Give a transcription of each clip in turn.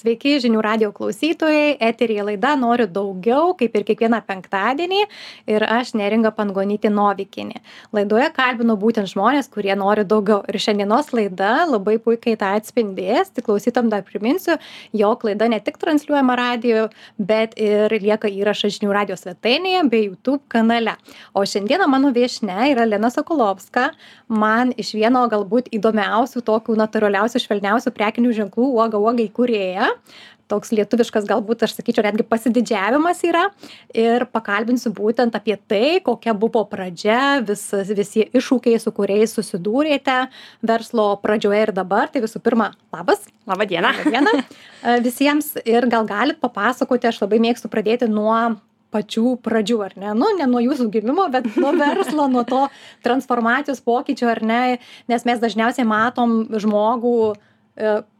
Sveiki, žinių radio klausytojai, eterija laida Noriu daugiau, kaip ir kiekvieną penktadienį, ir aš Neringa Pangonytė Novikinė. Laidoje kalbinu būtent žmonės, kurie nori daugiau. Ir šiandienos laida labai puikiai tą atspindės. Tik klausytam dar priminsiu, jog laida ne tik transliuojama radio, bet ir lieka įrašas žinių radio svetainėje bei YouTube kanale. O šiandieną mano viešnia yra Lena Sokolovska, man iš vieno galbūt įdomiausių, tokių natūraliausių, švelniausių prekinių ženklų uoga įkūrėja. Toks lietuviškas galbūt, aš sakyčiau, netgi pasididžiavimas yra. Ir pakalbinsiu būtent apie tai, kokia buvo pradžia, visi iššūkiai, su kuriais susidūrėte verslo pradžioje ir dabar. Tai visų pirma, labas. Labą dieną. Labą dieną visiems. Ir gal galit papasakoti, aš labai mėgstu pradėti nuo pačių pradžių, ar ne? Nu, ne nuo jūsų gimimo, bet nuo verslo, nuo to transformacijos pokyčio, ar ne? Nes mes dažniausiai matom žmogų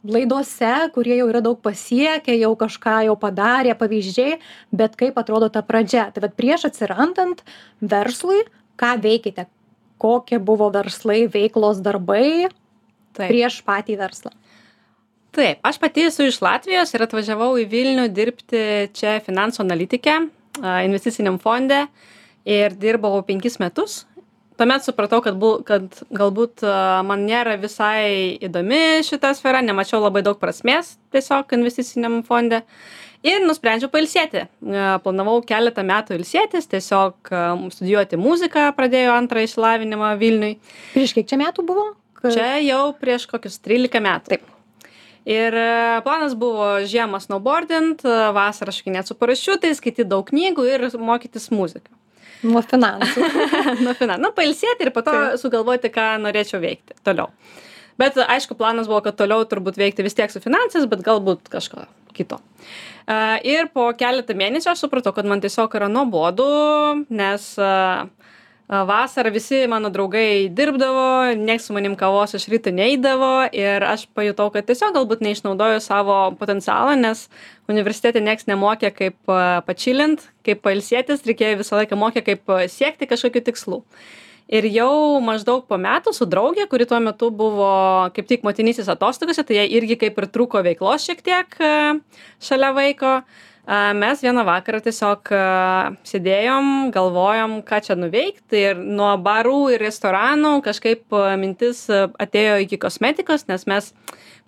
laidose, kurie jau yra daug pasiekę, jau kažką jau padarė, pavyzdžiai, bet kaip atrodo ta pradžia. Tai bet prieš atsirandant verslui, ką veikite? Kokie buvo verslai, veiklos darbai prieš patį verslą? Taip, aš pati esu iš Latvijos ir atvažiavau į Vilnių dirbti čia finansų analitike, investiciniam fonde ir dirbau 5 metus. Tuomet supratau, kad galbūt man nėra visai įdomi šita sfera, nemačiau labai daug prasmės tiesiog investiciniam fonde ir nusprendžiau pailsėti. Planavau keletą metų ilsėtis, tiesiog studijuoti muziką, pradėjau antrą išsilavinimą Vilniui. Prieš kiek čia metų buvo? Čia jau prieš kokius 13 metų. Taip. Ir planas buvo žiemą snowboardint, vasarą šokinėt su parašiutais, skaityti daug knygų ir mokytis muziką. Nuo finansų. Nuo finansų. Nu, pailsėti ir po to sugalvoti, ką norėčiau veikti toliau. Bet aišku, planas buvo, kad toliau turbūt veikti vis tiek su finansais, bet galbūt kažko kito. Ir po keletą mėnesių aš supratau, kad man tiesiog yra nuobodu, nes vasarą visi mano draugai dirbdavo, nieks su manim kavos iš ryto neidavo ir aš pajutau, kad tiesiog galbūt neišnaudoju savo potencialą, nes universitete nieks nemokė kaip pačilint, kaip pailsėtis, reikėjo visą laiką mokė kaip siekti kažkokių tikslų. Ir jau maždaug po metų su draugė, kuri tuo metu buvo kaip tik motinystės atostogose, tai jai irgi kaip ir trūko veiklos šiek tiek šalia vaiko. Mes vieną vakarą tiesiog sėdėjom, galvojom, ką čia nuveikti ir nuo barų ir restoranų kažkaip mintis atėjo iki kosmetikos, nes mes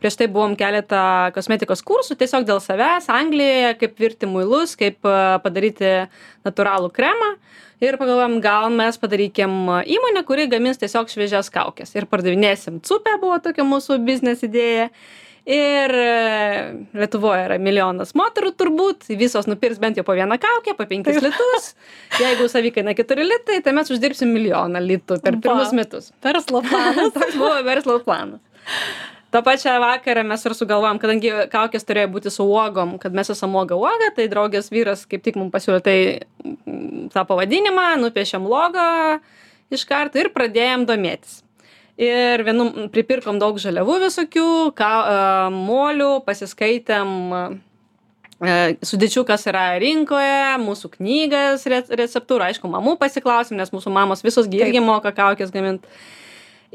prieš tai buvom keletą kosmetikos kursų tiesiog dėl savęs Anglijoje, kaip virti muilus, kaip padaryti natūralų kremą ir pagalvojom, gal mes padarykim įmonę, kuri gamins tiesiog šviežias kaukes ir pardavinėsim cupę, buvo tokia mūsų biznes idėja. Ir Lietuvoje yra milijonas moterų turbūt, visos nupirks bent jau po vieną kaukę, po 5 litus. Jeigu savikaina 4 litai, tai mes uždirbsim 1 milijoną litų per pirmus metus. Verslo planas. Toks buvo verslo planas. Tą pačią vakarą mes ir sugalvojom, kadangi kaukės turėjo būti su uogom, kad mes esam uoga, tai draugės vyras kaip tik mums pasiūlė tą pavadinimą, nupiešėm logą iš karto ir pradėjom domėtis. Ir pripirkom daug žaliavų visokių, molių, pasiskaitėm sudėčių, kas yra rinkoje, mūsų knygas, receptūrą, aišku, mamų pasiklausėm, nes mūsų mamos visos irgi moka kaukės gaminti.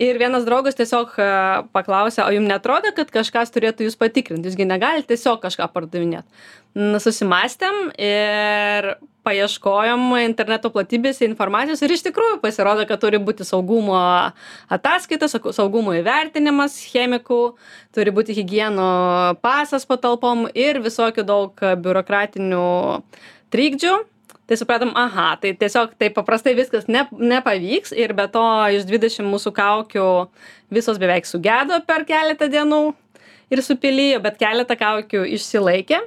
Ir vienas draugas tiesiog paklausė, o jums netrodo, kad kažkas turėtų jūs patikrinti, jūsgi negalite tiesiog kažką pardavinėti. Susimastėm ir paieškojom interneto platybėse informacijos ir iš tikrųjų pasirodo, kad turi būti saugumo ataskaitas, saugumo įvertinimas chemikų, turi būti higieno pasas patalpom ir visokių daug biurokratinių trikdžių. Tai supratom, tai tiesiog taip paprastai viskas nepavyks ir be to iš 20 mūsų kaukių visos beveik sugedo per keletą dienų ir supilijo, bet keletą kaukių išsilaikė.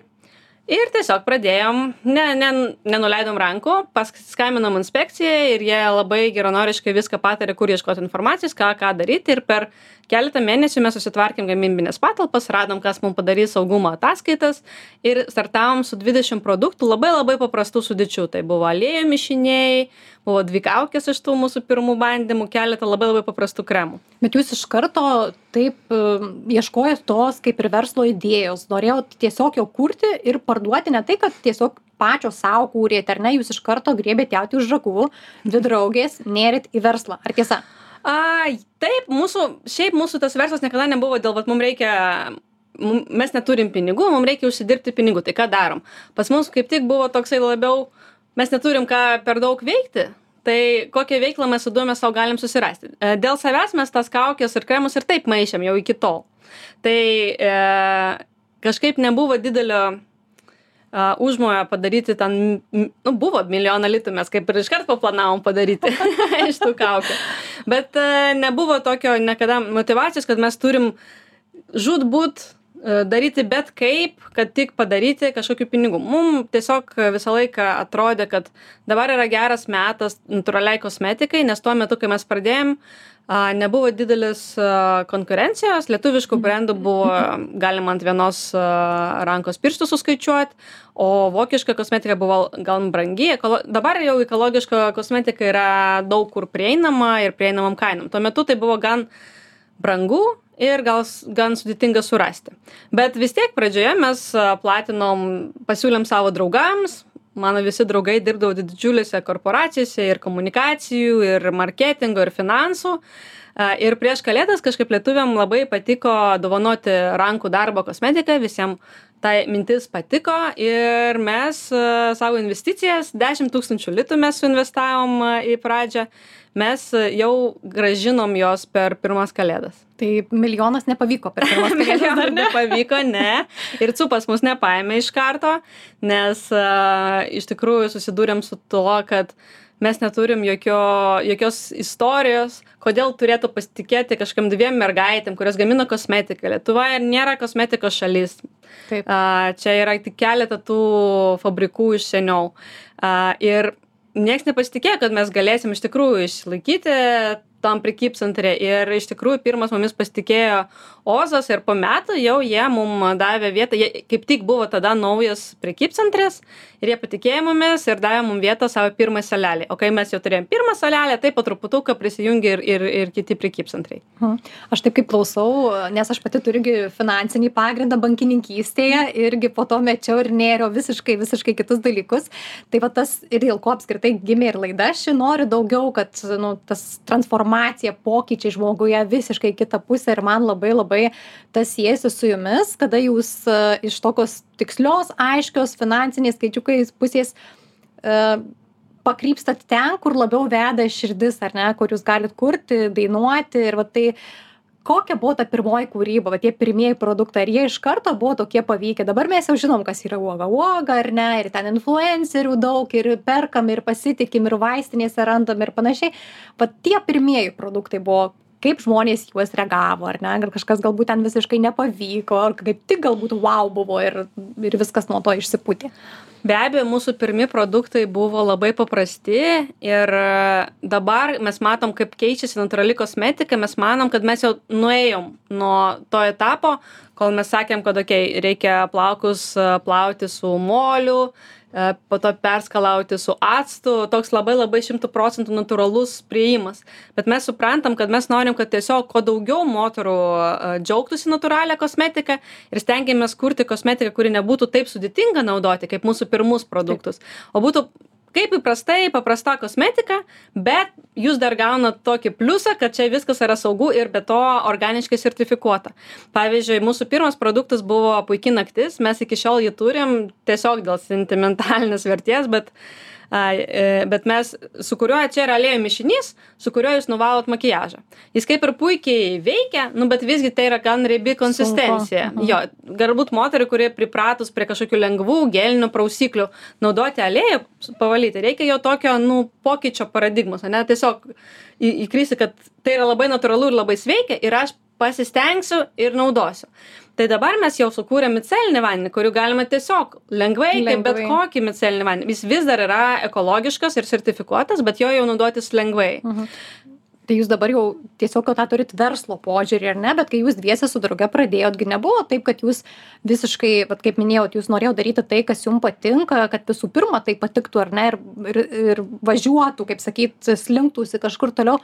Ir tiesiog pradėjom, nenuleidom rankų, paskaminom inspekcijai ir jie labai geranoriškai viską patarė, kur ieškoti informacijos, ką daryti ir per keletą mėnesių mes susitvarkėm gamybinės patalpas, radom, kas mums padarys saugumo ataskaitas ir startavom su 20 produktų labai paprastų sudėčių. Tai buvo aliejų mišiniai, buvo 2 kaukės iš tų mūsų pirmų bandymų, keletą labai paprastų kremų. Bet jūs iš karto taip ieškojot tos kaip ir verslo idėjos, norėjot tiesiog jau kurti ir parduoti, ne tai, kad tiesiog pačios savo kūrėte, ar ne, jūs iš karto griebėt jauti už žagų, 2 draugės, nėrit į verslą, ar tiesa? Taip, mūsų tas verslas niekada nebuvo dėl, mums reikia mes neturim pinigų, mums reikia užsidirbti pinigų, tai ką darom? Pas mus kaip tik buvo toksai labiau, mes neturim ką per daug veikti, tai kokią veiklą mes įdomią savo galim susirasti. Dėl savęs mes tas kaukės ir kremus ir taip maišėm jau iki tol. Tai kažkaip nebuvo didelio užmojo padaryti ten, buvo 1 milijoną litų, mes kaip ir iškart paplanavom padaryti iš tų kaukių. Bet nebuvo tokio niekada motyvacijos, kad mes turim žūtbūt daryti bet kaip, kad tik padaryti kažkokių pinigų. Mums tiesiog visą laiką atrodė, kad dabar yra geras metas natūraliai kosmetikai, nes tuo metu, kai mes pradėjom, nebuvo didelis konkurencijos, lietuviškų brandų buvo galima ant vienos rankos pirštų suskaičiuoti, o vokiška kosmetika buvo gal brangi. Dabar jau ekologiška kosmetika yra daug kur prieinama ir prieinamam kainom. Tuo metu tai buvo gan brangu ir gan sudėtinga surasti. Bet vis tiek pradžioje mes pasiūlėm savo draugams. Mano visi draugai dirbdavo didžiulėse korporacijose ir komunikacijų, ir marketingo, ir finansų. Ir prieš kalėdas kažkaip lietuviam labai patiko dovanoti rankų darbo kosmetiką, visiems tai mintis patiko ir mes savo investicijas, 10 000 litų mes suinvestavom į pradžią, mes jau gražinom jos per pirmas kalėdas. Tai 1 milijonas nepavyko per pirmas kalėdas, ar ne? Nepavyko, ne. Ir cupas mus nepaėmė iš karto, nes iš tikrųjų susidūrėm su tuo, kad mes neturim jokios istorijos, kodėl turėtų pasitikėti kažkam 2 mergaitėm, kurios gamina kosmetiką. Lietuva nėra kosmetikos šalis. Taip. Čia yra tik keletą tų fabrikų iš seniau. Ir nieks nepasitikėjo, kad mes galėsim iš tikrųjų išlaikyti tam prekybcentre. Ir iš tikrųjų pirmas mumis pasitikėjo Ozas ir po metų jau jie mum davė vietą. Jie kaip tik buvo tada naujas prekybcentris ir jie patikėjo mumis ir davė mum vietą savo pirmą salelį. O kai mes jau turėjom pirmą salelę, tai po truputuką prisijungė ir kiti prekybcentrai. Aš taip kaip klausau, nes aš pati turiu finansinį pagrindą bankininkystėje irgi po to mečiau ir nėriau visiškai kitus dalykus. Tai va tas ir dėl ko apskritai gimė ir laida. Aš noriu daugiau, kad tas transformacija, pokyčiai žmoguje visiškai kitą pusę ir man labai tas siejasi su jumis, kada jūs iš tokios tikslios, aiškios finansiniais skaičiukais pusės pakrypstat ten, kur labiau veda širdis, ar ne, kur jūs galit kurti, dainuoti ir va tai kokia buvo ta pirmoji kūryba, va tie pirmieji produktai, ar jie iš karto buvo tokie pavykę? Dabar mes jau žinom, kas yra uoga, ar ne, ir ten influencerių daug, ir perkam, ir pasitikim, ir vaistinėse randam, ir panašiai. Va tie pirmieji produktai buvo, kaip žmonės juos reagavo, ar ne, ar kažkas galbūt ten visiškai nepavyko, ar kaip tik galbūt wow buvo ir viskas nuo to išsipūtė. Be abejo, mūsų pirmi produktai buvo labai paprasti ir dabar mes matom, kaip keičiasi natūrali kosmetika, mes manom, kad mes jau nuėjom nuo to etapo, kol mes sakėm, kad reikia plaukus plauti su moliu, po to perskalauti su actu, toks labai 100% natūralus priėjimas. Bet mes suprantam, kad mes norim, kad tiesiog kuo daugiau moterų džiaugtųsi natūralią kosmetiką ir stengiamės kurti kosmetiką, kuri nebūtų taip sudėtinga naudoti, kaip mūsų pirmus produktus, o būtų kaip paprasta kosmetika, bet jūs dar gaunat tokį pliusą, kad čia viskas yra saugu ir be to organiškai sertifikuota. Pavyzdžiui, mūsų pirmas produktas buvo Puiki naktis, mes iki šiol jį turim tiesiog dėl sentimentalinės vertės, bet mes, su kuriuo čia yra aliejų mišinys, su kuriuo jūs nuvalot makiažą. Jis kaip ir puikiai veikia, bet visgi tai yra gan riebi konsistencija. Jo, galbūt moteriai, kurie pripratus prie kažkokių lengvų gelinių prausiklių naudoti aliejų pavalyti, reikia jo tokio, pokyčio paradigmos, ne, tiesiog įkrisi, kad tai yra labai natūralu ir labai sveika ir aš pasistengsiu ir naudosiu. Tai dabar mes jau sukūrėm micelinį vandenį, kurių galima tiesiog lengvai, kaip bet kokį micelinį vandenį. Jis vis dar yra ekologiškas ir sertifikuotas, bet jo jau naudotis lengvai. Tai jūs dabar jau tiesiog tą turit verslo požiūrį, ar ne? Bet kai jūs dviese su drauge pradėjotgi nebuvo taip, kad jūs visiškai, kaip minėjot, jūs norėjot daryti tai, kas jums patinka, kad visų pirma tai patiktų, ar ne, ir važiuotų, kaip sakyt, slinktųsi kažkur toliau.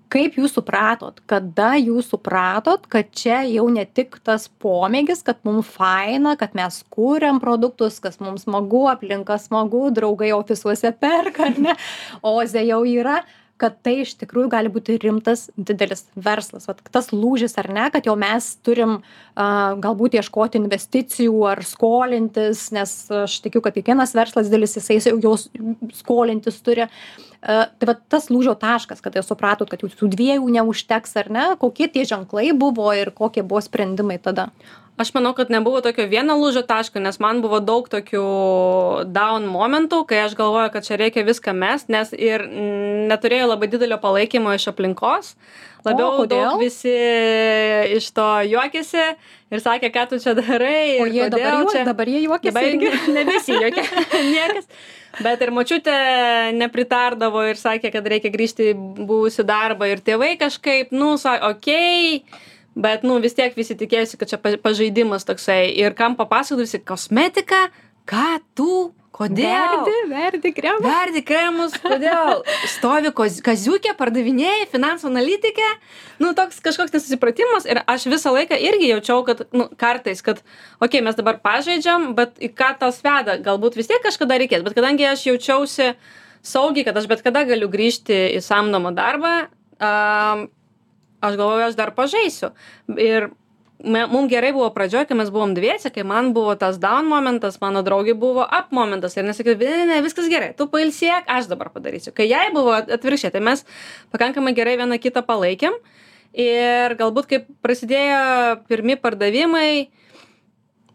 Kaip jūs supratot, kada jūs supratot, kad čia jau ne tik tas pomėgis, kad mums faina, kad mes kūriam produktus, kas mums smagu, aplinka smagu, draugai ofisuose perka, ar ne, Oze jau yra. kad tai iš tikrųjų gali būti rimtas, didelis verslas. Vat tas lūžis ar ne, kad jau mes turim galbūt ieškoti investicijų ar skolintis, nes aš tikiu, kad kiekvienas verslas didelis, jisai jau skolintis turi. Tai va tas lūžio taškas, kad jau supratot, kad jau tų dviejų neužteks ar ne, kokie tie ženklai buvo ir kokie buvo sprendimai tada? Aš manau, kad nebuvo tokio vieno lūžio taško, nes man buvo daug tokių down momentų, kai aš galvoju, kad čia reikia viską mest, nes ir neturėjau labai didelio palaikymo iš aplinkos. Labiau daug visi iš to juokėsi ir sakė, ką tu čia darai. O jie dabar jie juokėsi? Dabar nebesijuokė niekas. Bet ir močiutė nepritardavo ir sakė, kad reikia grįžti į buvusių darbą ir tėvai kažkaip, sakė, okei. Bet, vis tiek visi tikėjusi, kad čia pažaidimas toksai. Ir kam papasakojusi, kosmetika, ką tu, kodėl? Verdi kremus. Verdi kremus, kodėl? Stovi kaziukė, pardavinėjai, finansų analitikė. Toks kažkoks nesusipratimas. Ir aš visą laiką irgi jaučiau, kad, kartais, kad, okei, mes dabar pažaidžiam, bet į ką tas veda? Galbūt vis tiek kažkada reikės. Bet kadangi aš jaučiausi saugiai, kad aš bet kada galiu grįžti į samdomą darbą, aš galvoju, aš dar pažaisiu. Ir mums gerai buvo pradžioj, kai mes buvom dviese, kai man buvo tas down momentas, mano draugė buvo up momentas. Ir nesakė, ne, viskas gerai, tu pailsėk, aš dabar padarysiu. Kai jai buvo atvirkščiai, tai mes pakankamai gerai vieną kitą palaikėm. Ir galbūt, kai prasidėjo pirmi pardavimai,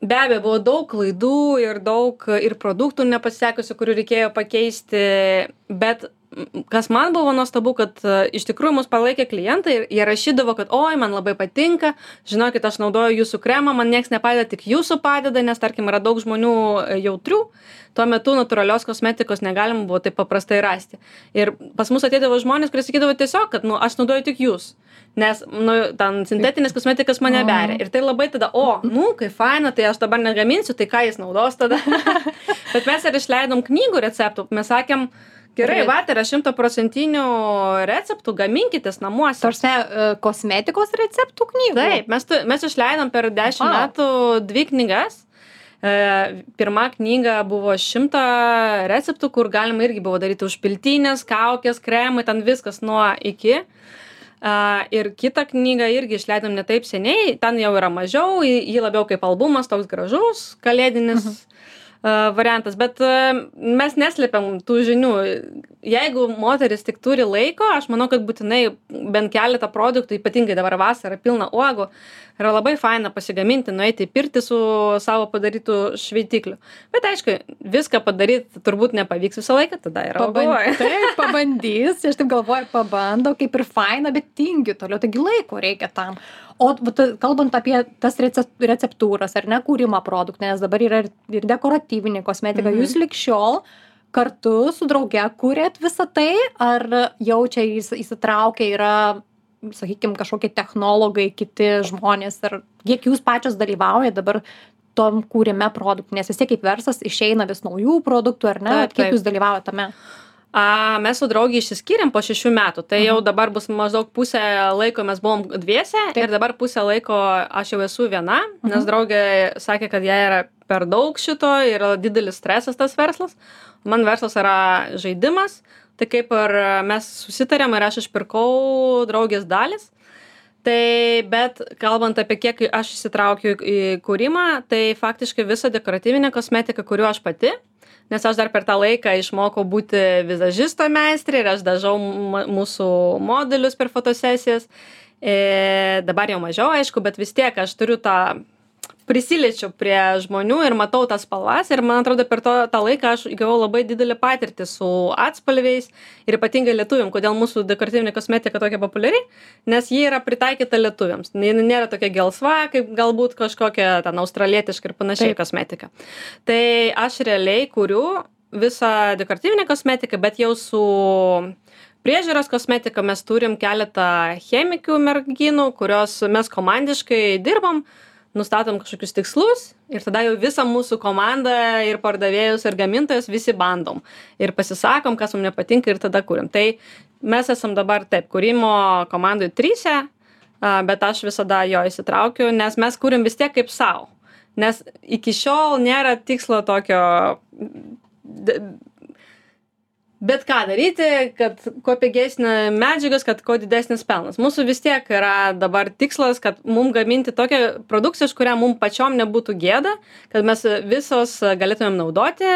be abejo, buvo daug klaidų ir daug ir produktų nepasisekusių, kurių reikėjo pakeisti, bet kas man buvo nuostabu, kad iš tikrųjų mus palaikė klientai ir jie rašydavo, kad oi, man labai patinka, žinokit, aš naudoju jūsų kremą, man nieks nepadeda, tik jūsų padeda, nes tarkim yra daug žmonių jautrių, tuo metu natūralios kosmetikos negalima buvo taip paprastai rasti. Ir pas mus ateidavo žmonės, kurie sakydavo tiesiog, kad aš naudoju tik jūs, nes ten sintetinis kosmetikas mane beria. Ir tai labai tada, kaip faina, tai aš dabar negaminsiu, tai ką jis naudos tada. Bet mes ir išleidom knygų receptų, mes sakėm, gerai, yra 100% receptų, gaminkitės namuose. Tarsi kosmetikos receptų knygų? Taip, mes išleidom per 10 metų 2 knygas. Pirma knyga buvo 100 receptų, kur galima irgi buvo daryti užpiltinės, kaukės, kremai, ten viskas nuo iki. Ir kitą knygą irgi išleidom ne taip seniai, ten jau yra mažiau, jį labiau kaip albumas, toks gražus, kalėdinis variantas, bet mes neslėpiam tų žinių. Jeigu moteris tik turi laiko, aš manau, kad būtinai bent keletą produktų, ypatingai dabar vasara pilna uogų, yra labai faina pasigaminti, nueiti į pirtį su savo padarytų šveitikliu. Bet aišku, viską padaryti turbūt nepavyks visą laiką, tada yra Taip, pabandys, aš taip galvoju, pabando, kaip ir faina, bet tingiu toliau, taigi laiko reikia tam. O kalbant apie tas receptūras ar ne kūrimą produktų, nes dabar yra ir dekoratyvinė kosmetika, jūs lig šiol kartu su drauge kūrėt visą tai, ar jau čia įsitraukia yra, sakykime, kažkokie technologai, kiti žmonės, ar kiek jūs pačios dalyvaujate dabar tom kūrime produktų, nes vis tiek kaip verslas išeina vis naujų produktų, ar ne, kiek jūs dalyvaujate tame? Mes su draugė išsiskyrėm po 6 metų, tai jau dabar bus maždaug pusę laiko mes buvom dviese ir dabar pusę laiko aš jau esu viena, nes draugė sakė, kad jai yra per daug šito, yra didelis stresas tas verslas. Man verslas yra žaidimas, tai kaip ir mes susitarėm ir aš išpirkau draugės dalis. Tai, bet kalbant apie kiek aš įsitraukiu į kūrimą, tai faktiškai visą dekoratyvinę kosmetiką kuriu aš pati. Nes aš dar per tą laiką išmokau būti vizažisto meistrė ir aš dažau mūsų modelius per fotosesijas. Dabar jau mažiau, aišku, bet vis tiek aš turiu prisiliečiu prie žmonių ir matau tas spalvas ir man atrodo per tą laiką aš įgavau labai didelį patirtį su atspalviais ir ypatingai lietuviam, kodėl mūsų dekoratyvinė kosmetika tokia populiari, nes ji yra pritaikyta lietuviams. Ji nėra tokia gelsva, kaip galbūt kažkokia ten australietiška ir panašiai kosmetika. Tai aš realiai kuriu visą dekoratyvinę kosmetiką, bet jau su priežiūros kosmetika mes turim keletą chemikių merginų, kurios mes komandiškai dirbam, nustatom kažkokius tikslus ir tada jau visą mūsų komandą ir pardavėjus ir gamintojus visi bandom ir pasisakom, kas mums nepatinka ir tada kuriam. Tai mes esam dabar taip, kūrimo komandoj 3, bet aš visada jo įsitraukiu, nes mes kuriam vis tiek kaip savo. Nes iki šiol nėra tikslo tokio bet ką daryti, kad kuo pigesnė medžiagas, kad kuo didesnis pelnas. Mūsų vis tiek yra dabar tikslas, kad mum gaminti tokią produkciją, iš kurią mum pačiom nebūtų gėda, kad mes visos galėtumėm naudoti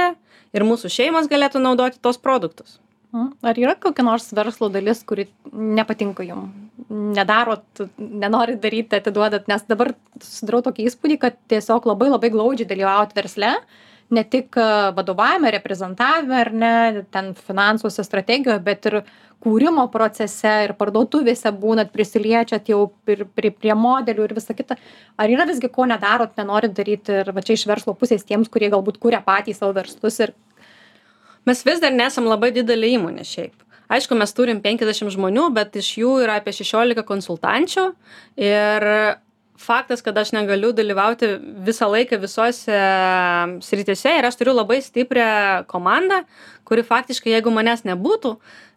ir mūsų šeimos galėtų naudoti tos produktus. Ar yra kokia nors verslo dalis, kuri nepatinka jum? Nedarot, nenorit daryti, atiduodat, nes dabar susidarau tokį įspūdį, kad tiesiog labai labai glaudžiai dalyvaujat versle, ne tik vadovavime, reprezentavime, ar ne, ten finansuose, strategijoje, bet ir kūrimo procese ir parduotuvėse būnat, prisiliečiat jau prie modelių ir visa kita. Ar yra visgi ko nedarot, nenorit daryti ir va čia iš verslo pusės tiems, kurie galbūt kūrė patys savo verslus ir... Mes vis dar nesam labai didelė įmonė šiaip. Aišku, mes turim 50 žmonių, bet iš jų yra apie 16 konsultančių ir faktas, kad aš negaliu dalyvauti visą laiką visose srityse ir aš turiu labai stiprią komandą, kuri faktiškai, jeigu manęs nebūtų,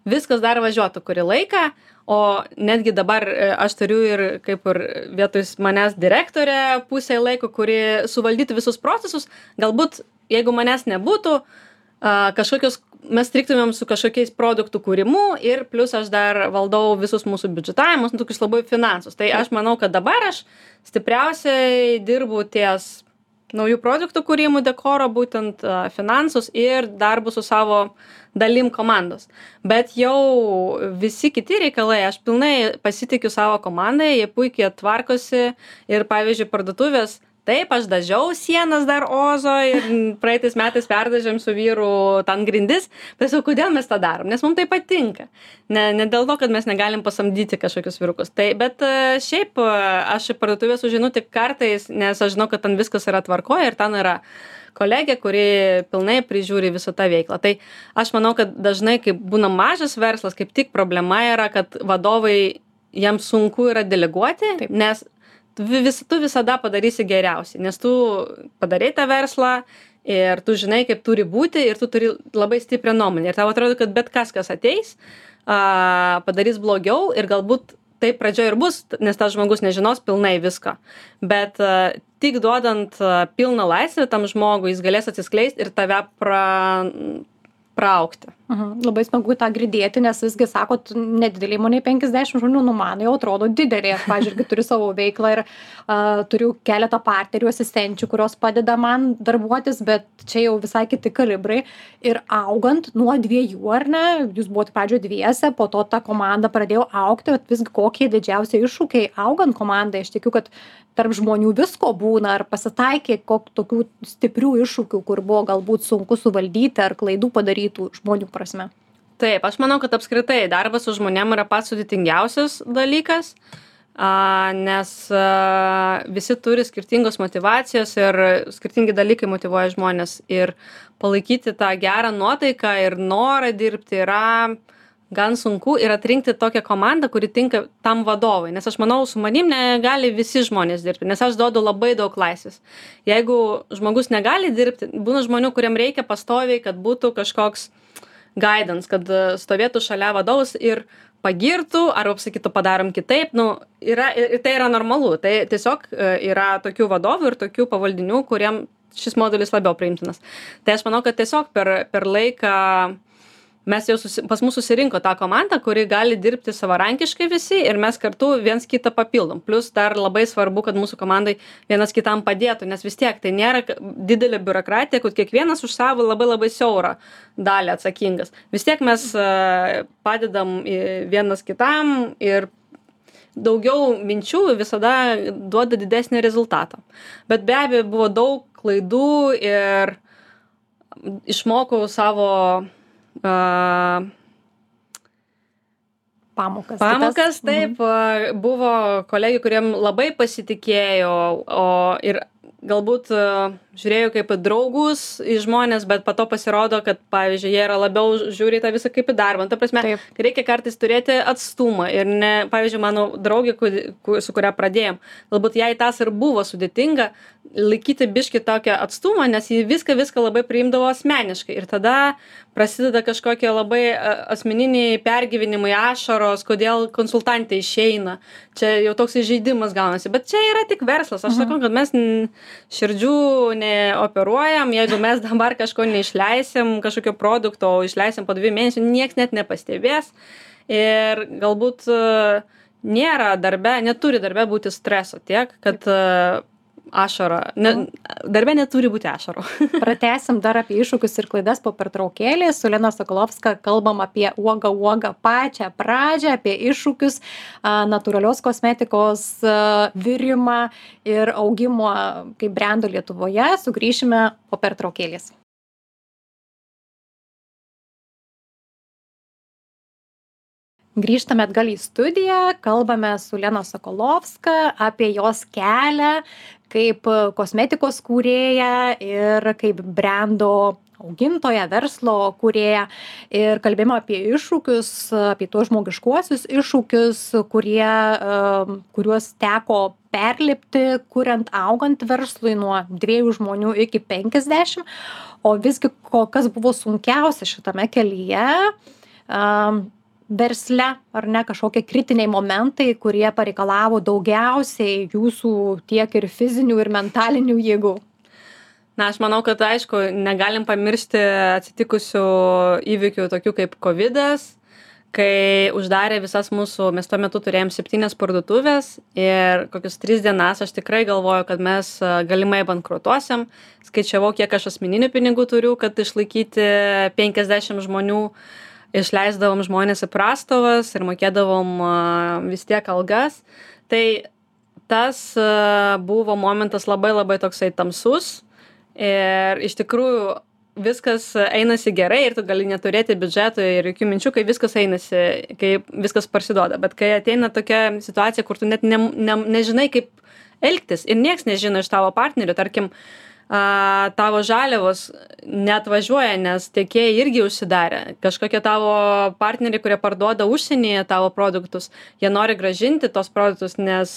viskas dar važiuotų kurį laiką, o netgi dabar aš turiu ir kaip ir vietoj manęs direktorę pusę laiko, kuri suvaldytų visus procesus. Galbūt, jeigu manęs nebūtų, mes striktumėm su kažkokiais produktų kūrimu ir plus aš dar valdau visus mūsų biudžetavimus, tokius labai finansus. Tai aš manau, kad dabar aš stipriausiai dirbu ties naujų produktų kūrimų, dekoro, būtent finansus ir darbu su savo dalim komandos. Bet jau visi kiti reikalai, aš pilnai pasitikiu savo komandai, jie puikiai tvarkosi ir pavyzdžiui parduotuvės. Taip, aš dažiau sienas dar Ozo ir praeitais metais perdažėm su vyru ten grindis, bet jau kodėl mes tą darom, nes mums tai patinka. Ne dėl to, kad mes negalim pasamdyti kažkokius vyrukus. Tai, bet šiaip aš į parduotuvę sužinu tik kartais, nes aš žinau, kad ten viskas yra tvarkoje ir ten yra kolegė, kuri pilnai prižiūri visą tą veiklą. Tai aš manau, kad dažnai, kai būna mažas verslas, kaip tik problema yra, kad vadovai jiems sunku yra deleguoti, taip. Nes tu visada padarysi geriausiai, nes tu padarai tą verslą ir tu žinai, kaip turi būti ir tu turi labai stiprią nuomonę. Ir tau atrodo, kad bet kas ateis, padarys blogiau ir galbūt taip pradžioje ir bus, nes tas žmogus nežinos pilnai visko. Bet tik duodant pilną laisvę tam žmogui, jis galės atsiskleisti ir tave praaugti. Labai smagu tą girdėti, nes visgi sakot, nedidelė įmonė 50 žmonių, man jau atrodo didelė. Aš, pavyzdžiui, turiu savo veiklą ir turiu keletą partnerių, asistenčių, kurios padeda man darbuotis, bet čia jau visai kiti kalibrai. Ir augant nuo 2, ar ne, jūs buvote pradžioje 2, po to ta komanda pradėjo augti, bet visgi kokie didžiausi iššūkiai augant komandai. Aš tikiu, kad tarp žmonių visko būna, ar pasitaikė tokių stiprių iššūkių, kur buvo galbūt sunku suvaldyti ar klaidų padarytų žmonių prasme. Taip, aš manau, kad apskritai darbas su žmonėm yra pats sudėtingiausias dalykas, nes visi turi skirtingos motyvacijos ir skirtingi dalykai motyvuoja žmonės ir palaikyti tą gerą nuotaiką ir norą dirbti yra gan sunku ir atrinkti tokią komandą, kuri tinka tam vadovui, nes aš manau, su manim negali visi žmonės dirbti, nes aš duodu labai daug laisvės. Jeigu žmogus negali dirbti, būna žmonių, kuriem reikia pastoviai, kad būtų kažkoks guidance, kad stovėtų šalia vadovus ir pagirtų, arba pasakytų padarom kitaip, ir tai yra normalu, tai tiesiog yra tokių vadovų ir tokių pavaldinių, kuriem šis modelis labiau priimtinas. Tai aš manau, kad tiesiog per laiką mes jau pas mus susirinko tą komandą, kuri gali dirbti savarankiškai visi ir mes kartu viens kitą papildom. Plus dar labai svarbu, kad mūsų komandai vienas kitam padėtų, nes vis tiek tai nėra didelė biurokratija, kad kiekvienas už savo labai labai siaurą dalį atsakingas. Vis tiek mes padedam vienas kitam ir daugiau minčių visada duoda didesnį rezultatą. Bet be abejo buvo daug klaidų ir išmokau savo pamokas, taip, buvo kolegų, kuriem labai pasitikėjo, ir galbūt žiūrėjau kaip draugus į žmonės, bet po to pasirodo, kad, pavyzdžiui, jie yra labiau žiūri tą visą kaip į darbą. Ta prasme, reikia kartais turėti atstumą ir pavyzdžiui, mano draugė, su kuria pradėjom, galbūt jai tas ir buvo sudėtinga laikyti biškį tokią atstumą, nes ji viską labai priimdavo asmeniškai ir tada prasideda kažkokie labai asmeniniai pergyvenimai, ašaros, kodėl konsultantė išeina. Čia jau toks įžeidimas gaunasi, bet čia yra tik verslas. Aš sakau, kad mes širdžių operuojam, jeigu mes dabar kažko neišleisim, kažkokio produkto, o išleisim po 2 mėnesių, nieks net nepastebės. Ir galbūt neturi darbe būti streso tiek, kad ašara. Darbe neturi būti ašarų. Pratęsim dar apie iššūkius ir klaidas po pertraukėlį. Su Lina Sokolovska kalbam apie uogą pačią pradžią, apie iššūkius, natūralios kosmetikos virimą ir augimo kaip brendo Lietuvoje. Sugrįšime po pertraukėlės. Grįžtame atgal į studiją, kalbame su Lina Sokolovska apie jos kelią kaip kosmetikos kūrėja ir kaip brendo augintoja, verslo kūrėja. Ir kalbėjome apie iššūkius, apie tuos žmogiškuosius iššūkius, kuriuos teko perlipti, kuriant augant verslui nuo 2 žmonių iki 50. O visgi, kas buvo sunkiausia šitame kelyje, versle, ar ne, kažkokie kritiniai momentai, kurie pareikalavo daugiausiai jūsų tiek ir fizinių, ir mentalinių jėgų? Na, aš manau, kad aišku, negalim pamiršti atsitikusių įvykių tokių kaip COVID'as, kai uždarė visas mes tuo metu turėjom 7 parduotuvės ir kokius 3 dienas aš tikrai galvoju, kad mes galimai bankrutuosim. Skaičiavau, kiek aš asmeninių pinigų turiu, kad išlaikyti 50 žmonių. Išleisdavom žmonės į prastovas ir mokėdavom vis tiek algas. Tai tas buvo momentas labai labai toksai tamsus ir iš tikrųjų viskas einasi gerai ir tu gali neturėti biudžeto ir jokių minčių, kai viskas einasi, kai viskas parsiduoda. Bet kai ateina tokia situacija, kur tu net nežinai, kaip elgtis ir nieks nežino iš tavo partnerių, tarkim, tavo žaliavos neatvažiuoja, nes tiekėjai irgi užsidarė. Kažkokie tavo partneriai, kurie parduoda užsienyje tavo produktus, jie nori grąžinti tos produktus, nes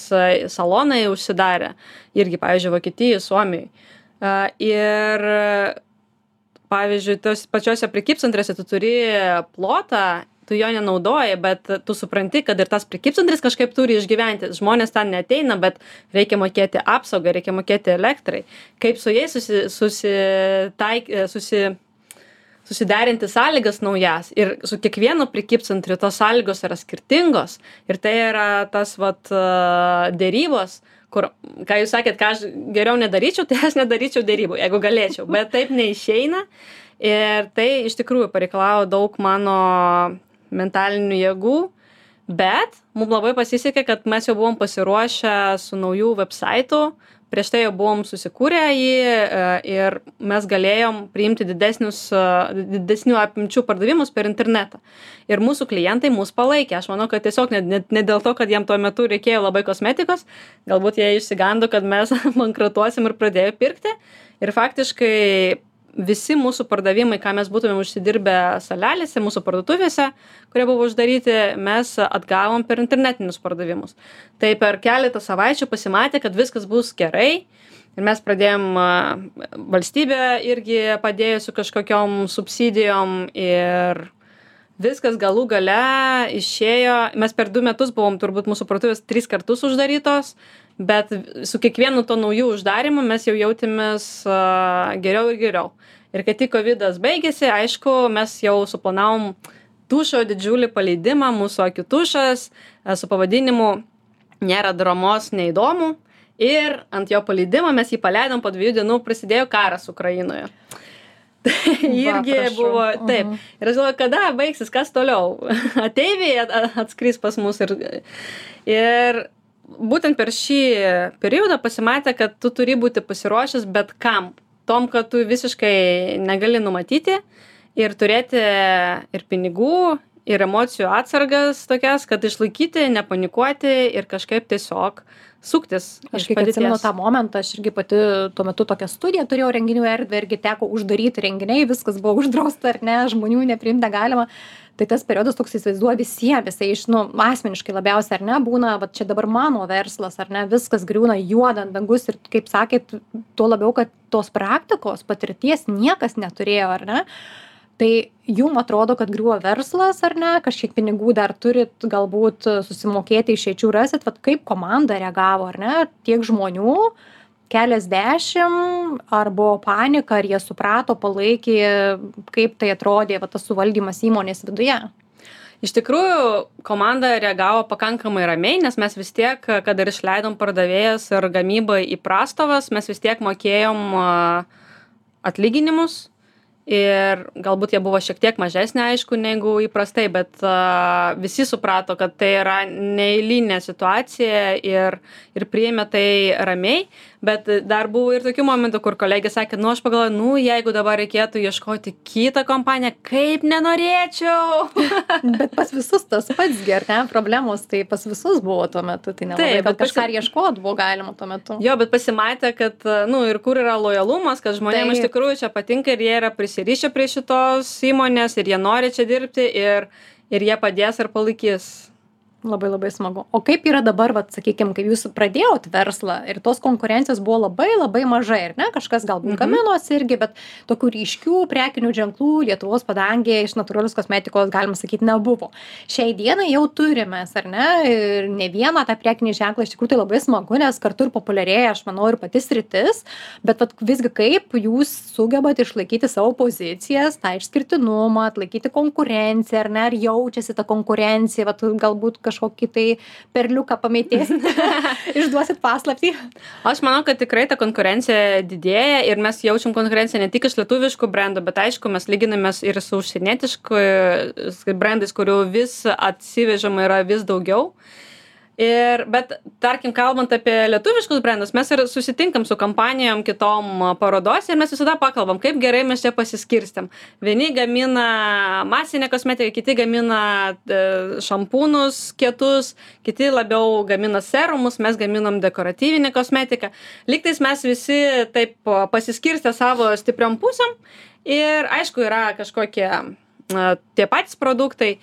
salonai užsidarė. Irgi, pavyzdžiui, Vokietijai, Suomijai. Ir, pavyzdžiui, tos pačiose prekybcentrėse tu turi plotą, tu jo nenaudoji, bet tu supranti, kad ir tas prekybcentris kažkaip turi išgyventi. Žmonės ten neateina, bet reikia mokėti apsaugą, reikia mokėti elektrai. Kaip su jais susiderinti sąlygas naujas. Ir su kiekvienu prekybcentriu tos sąlygos yra skirtingos. Ir tai yra tas dėrybos, kur, ką jūs sakėt, ką aš geriau nedaryčiau, tai aš nedaryčiau dėrybų, jeigu galėčiau. Bet taip neišeina. Ir tai iš tikrųjų pareikalavo daug mano mentalinių jėgų, bet mums labai pasisekė, kad mes jau buvom pasiruošę su naujų websaitų, prieš tai jau buvom susikūrę jį ir mes galėjom priimti didesnių apimčių pardavimus per internetą. Ir mūsų klientai mus palaikė. Aš manau, kad tiesiog ne dėl to, kad jiem tuo metu reikėjo labai kosmetikos, galbūt jie išsigando, kad mes bankrutuosim ir pradėjo pirkti. Ir faktiškai visi mūsų pardavimai, ką mes būtumėm užsidirbę salelėse, mūsų parduotuvėse, kurie buvo uždaryti, mes atgavom per internetinius pardavimus. Tai per keletą savaičių pasimatė, kad viskas bus gerai. Ir mes pradėjom, valstybė irgi padėjo su kažkokiom subsidijom ir viskas galų gale išėjo. Mes per 2 metus buvom turbūt mūsų parduotuvės 3 kartus uždarytos, bet su kiekvienu to naujų uždarimu mes jau jautėmės geriau ir geriau. Ir kai tik COVID'as baigėsi, aišku, mes jau suplanavom tušo didžiulį paleidimą, mūsų akių tušas su pavadinimu Nėra dramos, neįdomu. Ir ant jo paleidimo mes jį paleidom, po 2 dienų prasidėjo karas Ukrainoje. Tai irgi buvo taip. Ir aš galvoju, kada baigsis, kas toliau. Ateiviai atskris pas mus. Ir būtent per šį periodą pasimatė, kad tu turi būti pasiruošęs bet kam. Tom, kad tu visiškai negali numatyti ir turėti ir pinigų, ir emocijų atsargas tokias, kad išlaikyti, nepanikuoti ir kažkaip tiesiog suktis. Aš kiek atsimenu tą momentą, aš irgi pati tuo metu tokią studiją turėjau, renginių erdvę, irgi teko uždaryti renginiai, viskas buvo uždrausta, ar ne, žmonių nepriimti negalima. Tai tas periodas toks įsivaizduoja visiems, jisai asmeniškai labiausiai, ar ne, būna, va čia dabar mano verslas, ar ne, viskas griūna juodant dangus ir, kaip sakėt, tuo labiau, kad tos praktikos, patirties niekas neturėjo, ar ne. Tai jum atrodo, kad griuvo verslas, ar ne, kažkiek pinigų dar turit, galbūt susimokėti išeičių rasit, vat kaip komanda reagavo, ar ne, tiek žmonių, keliasdešimt, ar buvo panika, ar jie suprato, palaikė, kaip tai atrodė, va, tas suvaldymas įmonės viduje? Iš tikrųjų, komanda reagavo pakankamai ramiai, nes mes vis tiek, kad ir išleidom pardavėjas ir gamybą į prastovas, mes vis tiek mokėjom atlyginimus. Ir galbūt jie buvo šiek tiek mažesnė, aišku, negu įprastai, bet visi suprato, kad tai yra neeilinė situacija ir priėmė tai ramiai. Bet dar buvo ir tokių momentų, kur kolegė sakė, aš pagalvoju, jeigu dabar reikėtų ieškoti kitą kompaniją, kaip nenorėčiau. Bet pas visus tas pats ne, problemos, tai pas visus buvo tuo metu, tai nelabai, bet kažką ieškoti buvo galima tuo metu. Jo, bet pasimatė, kad, ir kur yra lojalumas, kad žmonėms iš tikrųjų čia patinka ir jie yra prisirišę prie šitos įmonės ir jie nori čia dirbti ir jie padės ir palaikys. Labai labai smagu. O kaip yra dabar, sakykime, kai jūs pradėjot verslą ir tos konkurencijos buvo labai labai mažai, ir ne, kažkas galbūt gaminosi irgi, bet tokių ryškių prekinių ženklų Lietuvos padangėje iš natūralios kosmetikos, galima sakyti, nebuvo. Šiai dienai jau turime, ar ne, ir ne vieną tą prekinį ženklą, iš tikrųjų tai labai smagu, nes kartu ir populiarėja, aš manau, ir pati sritis, bet visgi kaip jūs sugebat išlaikyti savo pozicijas, tą išskirtinumą, atlaikyti konkurenciją, ar ne, ar jaučiasi ta konkurencija, galbūt kažkokį tai perliuką pamėtėsit, išduosit paslaptį? Aš manau, kad tikrai ta konkurencija didėja ir mes jaučiam konkurenciją ne tik iš lietuviškų brandų, bet aišku, mes lyginamės ir su užsienietiškų brandais, kurių vis atsivežama yra vis daugiau. Bet, tarkim, kalbant apie lietuviškus brandus, mes ir susitinkam su kompanijom kitom parodos ir mes visada pakalbam, kaip gerai mes čia pasiskirstėm. Vieni gamina masinę kosmetiką, kiti gamina šampūnus kietus, kiti labiau gamina serumus, mes gaminam dekoratyvinę kosmetiką. Lygtais mes visi taip pasiskirstę savo stipriom pusėm ir aišku yra kažkokie tie patys produktai.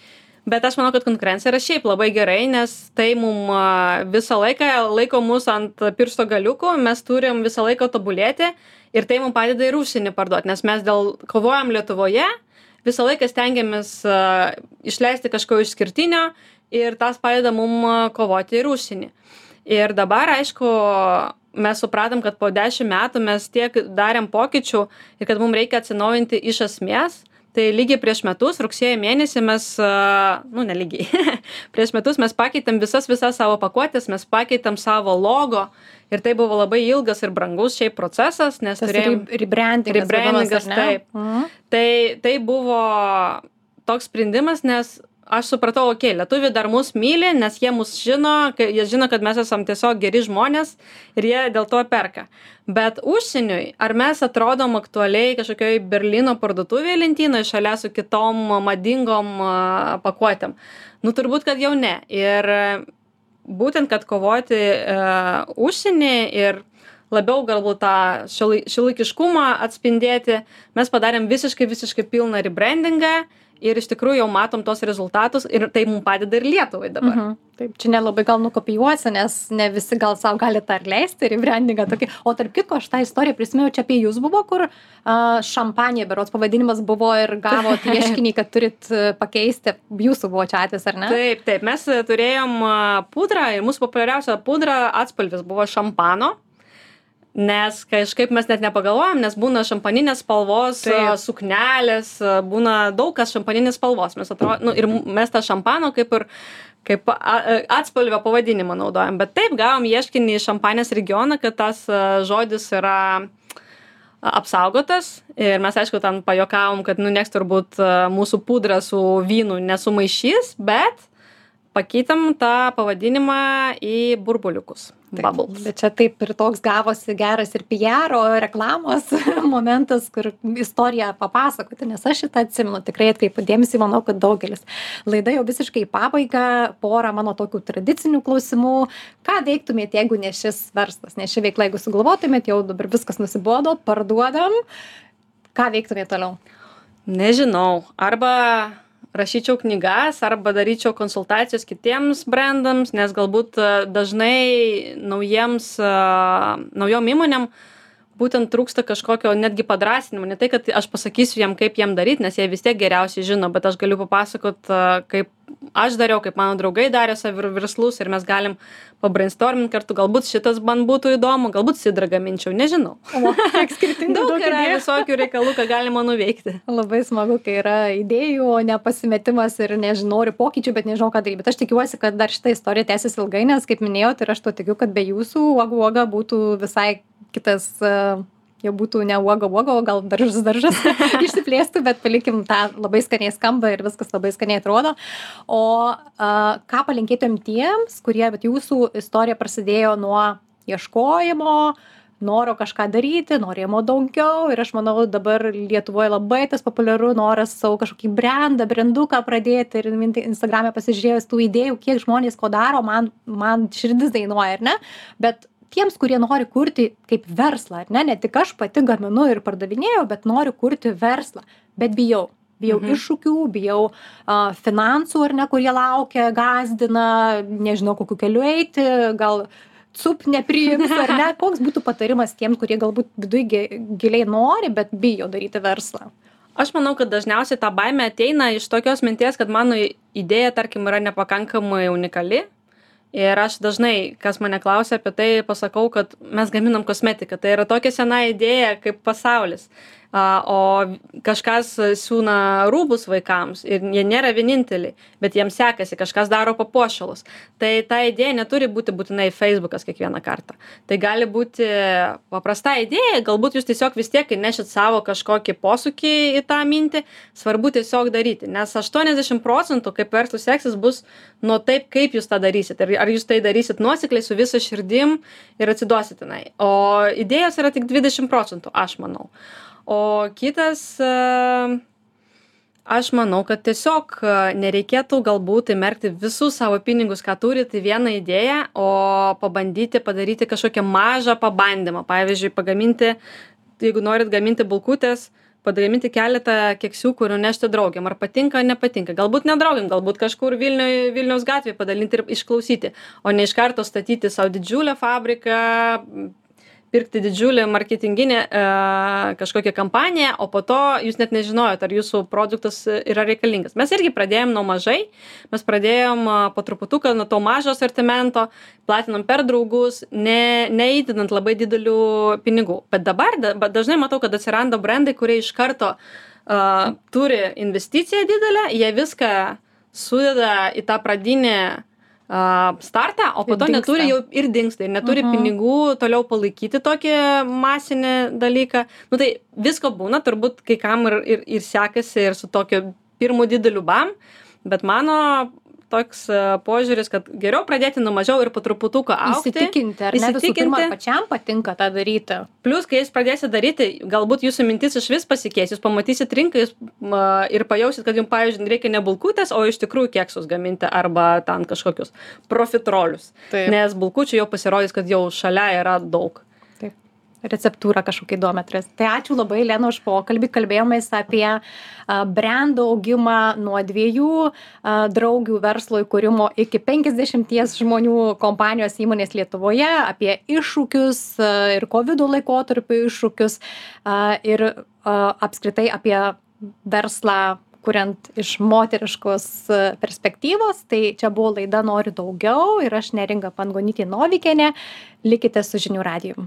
Bet aš manau, kad konkurencija yra šiaip labai gerai, nes tai mum visą laiką laiko mus ant piršto galiukų, mes turim visą laiką tobulėti ir tai mum padeda ir užsienį parduoti, nes mes kovojam Lietuvoje, visą laiką stengiamės išleisti kažko išskirtinio ir tas padeda mum kovoti ir užsienį. Ir dabar, aišku, mes supratom, kad po 10 metų mes tiek darėm pokyčių ir kad mums reikia atsinaujinti iš esmės. Tai lygiai prieš metus, rugsėjo mėnesį mes, nelygiai, prieš metus mes pakeitėm visas savo pakuotės, mes pakeitėm savo logo ir tai buvo labai ilgas ir brangus šiaip procesas, nes turėjom rebrandingas, taip. Tai buvo toks sprendimas, nes aš supratau, lietuviai dar mus myli, nes jie mus žino, jie žino, kad mes esam tiesiog geri žmonės ir jie dėl to perka. Bet užsieniui, ar mes atrodom aktualiai kažkokioj Berlyno parduotuvėje lentynoje šalia su kitom madingom pakuotėm? Turbūt, kad jau ne. Ir būtent, kad kovoti užsienį ir labiau galbūt tą šiuolaikiškumą atspindėti, mes padarėm visiškai pilną rebrandingą. Ir iš tikrųjų jau matom tos rezultatus ir tai mums padeda ir Lietuvai dabar. Taip, čia nelabai gal nukopijuosi, nes ne visi gal savo gali tą leisti, rebrandingą tokį. O tarp kitko, aš tą istoriją prisimenu, čia apie jūs buvo, kur šampanija, berods pavadinimas buvo ir gavot ieškinį, kad turit pakeisti. Jūsų buvo čia atvejis, ar ne? Taip, mes turėjom pudrą ir mūsų populiariausia pudra atspalvis buvo šampano. Nes kažkaip mes net nepagalvojam, nes būna šampaninės spalvos suknelės, būna daug kas šampaninės spalvos. Ir mes tą šampano kaip atspalvio pavadinimą naudojam. Bet taip, gavom ieškinį iš Šampanijos regioną, kad tas žodis yra apsaugotas. Ir mes, aišku, ten pajuokavom, kad nieks turbūt mūsų pudrą su vynu nesumaišys, bet pakeitėm tą pavadinimą į burbuliukus. Bubbles. Bet čia taip ir toks gavosi geras ir PR-o reklamos momentas, kur istoriją papasakoti, nes aš šitą atsimenu, tikrai atkreipiu dėmesį, manau, kad daugelis. Laida jau visiškai į pabaigą, porą mano tokių tradicinių klausimų. Ką veiktumėte, jeigu ne šis verslas, ne ši veikla, jeigu sugalvotumėte, jau dabar viskas nusibodo, parduodam, ką veiktumėte toliau? Nežinau, arba rašyčiau knygas arba daryčiau konsultacijas kitiems brandams, nes galbūt dažnai naujom įmonėm būtent trūksta kažkokio netgi padrąsinimo, ne tai, kad aš pasakysiu jiem, kaip jiem daryti, nes jie vis tiek geriausiai žino, bet aš galiu papasakot, kaip aš dariau, kaip mano draugai darė savo verslus ir mes galim pabrainstorminti kartu, galbūt šitas man būtų įdomu, galbūt sidrą gaminčiau, nežinau. Daug yra visokių reikalų, ką galima nuveikti. Labai smagu, kai yra idėjų, o ne pasimetimas ir noriu pokyčių, bet nežinau, ką daryti. Bet aš tikiuosi, kad dar šitą istoriją tęsis ilgai, nes, kaip minėjau, ir aš to tikiu, kad be jūsų uoga būtų visai kitas, jau būtų ne uoga, o gal daržas išsiplėstų, bet palikim tą labai skaniai skamba ir viskas labai skaniai atrodo. O ką palinkėtum tiems, kurie, bet jūsų istorija prasidėjo nuo ieškojimo, noro kažką daryti, norėjimo daugiau ir aš manau dabar Lietuvoje labai tas populiaru noras savo kažkokį branduką pradėti ir Instagram'e pasižiūrėjus tų idėjų, kiek žmonės ko daro, man širdis dainuoja, ar ne? Bet tiems, kurie nori kurti kaip verslą, ar ne tik aš pati gaminu ir pardavinėjau, bet noriu kurti verslą, bet bijau iššūkių, bijau finansų, ar ne, kurie laukia, gąsdina, nežinau, kokiu keliu eiti, gal nepriims, ar ne, koks būtų patarimas tiems, kurie galbūt viduje giliai nori, bet bijo daryti verslą. Aš manau, kad dažniausiai ta baimė ateina iš tokios minties, kad mano idėja, tarkim, yra nepakankamai unikali. Ir aš dažnai, kas mane klausia apie tai, pasakau, kad mes gaminam kosmetiką. Tai yra tokia sena idėja kaip pasaulis. O kažkas siūna rūbus vaikams ir jie nėra vieninteliai, bet jiems sekasi, kažkas daro papuošalus. Tai ta idėja neturi būti būtinai Facebookas kiekvieną kartą. Tai gali būti paprasta idėja, galbūt jūs tiesiog vis tiek nešit savo kažkokį posūkį į tą mintį, svarbu tiesiog daryti, nes 80% kaip verslų seksis bus nuo taip, kaip jūs tą darysit. Ar jūs tai darysit nuosekliai su visa širdim ir atsiduosit tenai. O idėjos yra tik 20%, aš manau. O kitas, aš manau, kad tiesiog nereikėtų galbūt įmerkti visus savo pinigus, ką turite, vieną idėją, o pabandyti padaryti kažkokią mažą pabandymą. Pavyzdžiui, jeigu norit gaminti bulkutės, pagaminti keletą keksiukų ir nešti draugiam. Ar patinka, ar nepatinka. Galbūt nedraugiam, galbūt kažkur Vilniaus gatvėje padalinti ir išklausyti, o ne iš karto statyti savo didžiulę fabriką, pirkti didžiulį marketinginę kažkokią kampaniją, o po to jūs net nežinojot, ar jūsų produktas yra reikalingas. Mes irgi pradėjom nuo mažai, mes pradėjom po truputuką nuo to mažo asortimento, platinam per draugus, neįdinant labai didelių pinigų. Bet dabar dažnai matau, kad atsiranda brandai, kurie iš karto turi investiciją didelę, jie viską sudeda į tą pradinę startą, o po to neturi jau ir dingsta, ir neturi pinigų toliau palaikyti tokį masinį dalyką. Nu tai visko būna, turbūt kai kam ir sekasi ir su tokiu pirmu dideliu bam, bet mano toks požiūris, kad geriau pradėti nuo mažiau ir po truputuką augti. Įsitikinti, ar ne visų pirma pačiam patinka tą daryti. Plius, kai jūs pradėsite daryti, galbūt jūsų mintis iš vis pasikeis, jūs pamatysit rinką ir pajausit, kad jums, pavyzdžiui, reikia ne bulkutės, o iš tikrųjų keksus gaminti arba ten kažkokius profitrolius. Taip. Nes bulkučių jau pasirodys, kad jau šalia yra daug. Receptūrą kažkokią įdomią turės. Tai ačiū labai, Lena, už pokalbį. Kalbėjomės apie brando augimą nuo 2 draugių verslo įkūrimo iki 50 žmonių kompanijos įmonės Lietuvoje, apie iššūkius ir COVID laikotarpio iššūkius ir apskritai apie verslą kuriant iš moteriškos perspektyvos. Tai čia buvo laida Noriu daugiau ir aš Neringa Pangonytė Novikienė. Likite su Žinių radiju.